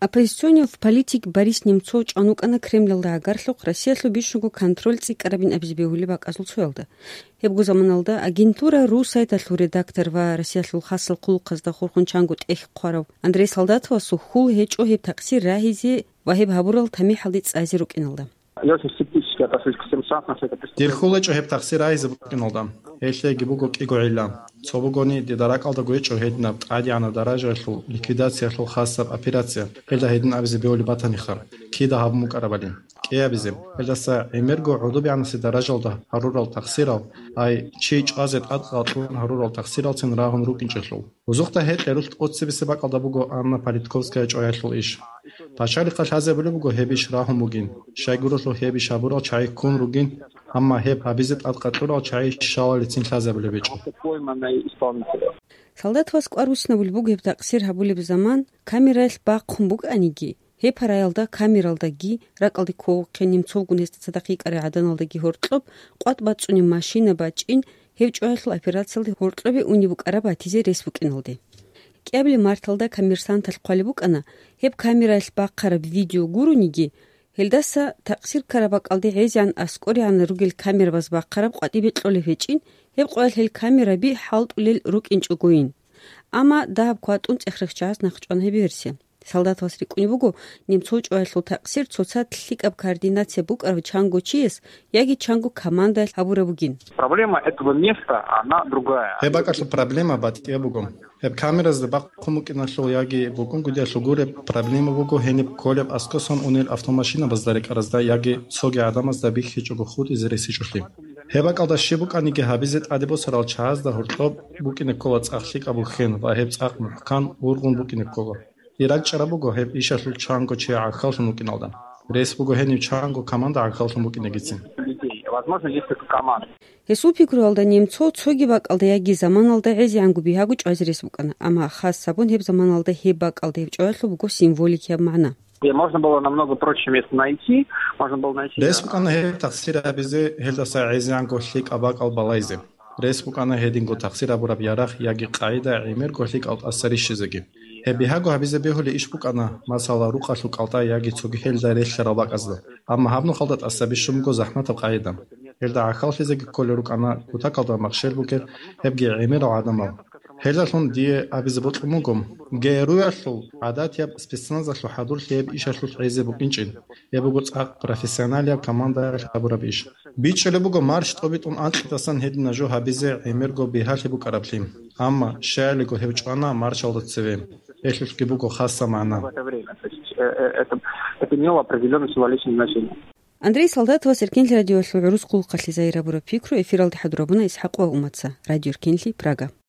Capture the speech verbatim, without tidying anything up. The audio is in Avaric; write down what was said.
Оппозиционный политик Борис Немцов чӀван вукӀана Кремлалда гӀагарлъухъ Россиялъул бищунго контроль цӀикӀкӀарабин абизе бегьулеб бакӀазул цоялда. Гьебго заманалда агентура «Русайталъул» редактор ва Россиялъул хасал хъулухъазда хурхун чанго тӀехь хъварав Андрей Солдатовасул хьул гьечӀо гьеб такъсир рагьизе ва гьеб гьабурал тамихӀалде цӀазе рукӀиналда. Я очень скептически отношусь к всем шансам, что это Дир преступление. Хьул гьечӀо гьеб такъсир рагьизе букӀиналда. Гьелъ гьеги буго кӀиго гӀилла. Цо бугони, дида ракӀалдаго гьечӀо гьединаб тӀадегӀанаб даражаялъул ликвидациялъул хасаб операция, гьелда гьедин абизе бегьулеб батаниха, кида гьабун букӀарабали. КӀиабизе, гьелдаса гӀемерго гӀодобегӀанасе даражалда гьарурал такъсирал, ай, чи чӀвазе тӀадкъал кьун гьарурал такъсиралцин рагьун рукӀинчӀелъул. Гьезухъа гьекъерулъ тӀоцебесеб бакӀалда буго Анна Политковская чӀваялъул иш. Пачалихъа лъазабулеб буго гьеб иш рагьун бугин, щайгурелъул гьеб иш гьабурал чагӀи ккун ругин, амма гьеб гьабизе тӀадкъа кьурал чагӀи щалалицин лъазабулеб гьечӀо. Солдатовас кӀвар руссинабулеб буго гьеб такъсир гьабулеб заман камераялъ бахъун букӀаниги, гьеб параялда камералдаги, ракӀалде кколухъе Немцовгун гьесда цадахъ йикӀарай гӀаданалдаги гьоркьоб къватӀ бацӀцӀунеб машина бачӀин, гьеб чӀваялъул операциялде гьоркьобе унеб букӀараб батизе рес букӀиналде. КӀиабилеб марталда «Коммерсанталъ» хъвалеб букӀана, гьеб камераялъ бахъараб видео гурониги, гьелдаса такъсир ккараб бакӀалде гӀезегӀан аскӀорегӀан ругел камерабаз бахъараб къватӀибе кьолеб гьечӀин, гьеб къоялъ гьел камераби хӀалтӀулел рукӀинчӀогойин. Амма дагьаб кватӀун цӀехрехчагьаз нахъчӀвана гьеб версия. Солдатовас рикӀкӀунеб буго, Немцов чӀваялъул такъсир цоцазда лъикӀаб координация букӀарав чанго чияс яги чанго командаялъ гьабураб бугин. Проблема этого места, она другая. Гьеб бакӀалъул проблема батӀияб буго. Гьеб камеразда бахъун букӀиналъул яги букӀунгутӀиялъул гуреб проблема буго гьениб кколеб аскӀосан унел автомашинабазда рекӀаразда яги цоги гӀадамазда бихьичӀого хутӀизе ресичӀолъи. Гьеб бакӀалда щиб букӀаниги гьабизе тӀаде босарал чагӀазда гьоркьоб букӀине ккола цӀакъ лъикӀаб бухьен ва гьеб цӀакъ мухӀкан ургъун букӀине ккола. Ирак чӀараб буго гьеб ишалъул чанго чи гӀахьаллъун вукӀиналда. Рес буго гьенив чанго команда гӀахьаллъун букӀинегицин. Людей. Возможно, несколько команд. Гьесул пикруялда, Немцов цоги бакӀалда яги заманалда гӀезегӀанго бигьаго чӀвазе рес букӀана, амма хас гьабун гьеб заманалда гьеб бакӀалда гьеб чӀваялъул буго символикияб магӀна. Где можно было намного проще место найти, можно было найти. Рес букӀана гьеб тахсир гьабизе, гьелдаса гӀезегӀанго лъикӀаб бакӀал балайзе. Рес букӀана гьединго тахсир гьабураб ярагъ яги къагӀида гӀемерго лъикӀал тӀаса рищизеги. Гьеб бигьаго гьабизе бегьулеб иш букӀана, масала, рукъалъул кӀалтӀа яги цоги гьелда релълъарал бакӀазда. Амма гьаб нухалда тӀаса бищун буго захӀматаб къагӀида. Гьелда гӀахьаллъизеги кколел рукӀана кутакалда махщел бугел, гьебги гӀемерал гӀадамал. Гьелдалъун дие абизе бокьун буго, ГРУ-ялъул гӀадатияб спецназалъул хӀадурлъи гьеб ишалъулъ гӀезе букӀинчӀин. Гьеб буго цӀакъ профессионалияб командаялъ гьабураб иш. БичӀчӀулеб буго марч тӀобитӀун анкьидасан гьедина жо гьабизе гӀемерго бигьалъи букӀараблъи. Амма щаялиго гьев чӀвана марчалда цеве. Гьелъулъги буго хасаб магӀна. В это время. То есть, э, э, это, это имело определённое символичное значение. Андрей Солдатовас Эркенлъи радиоялъул гӀурус хъулухъалъе загьир гьабураб пикру эфиралде хӀадурабуна ИсхӀакъ ва Умаца. Радио Эркенлъи, Прага.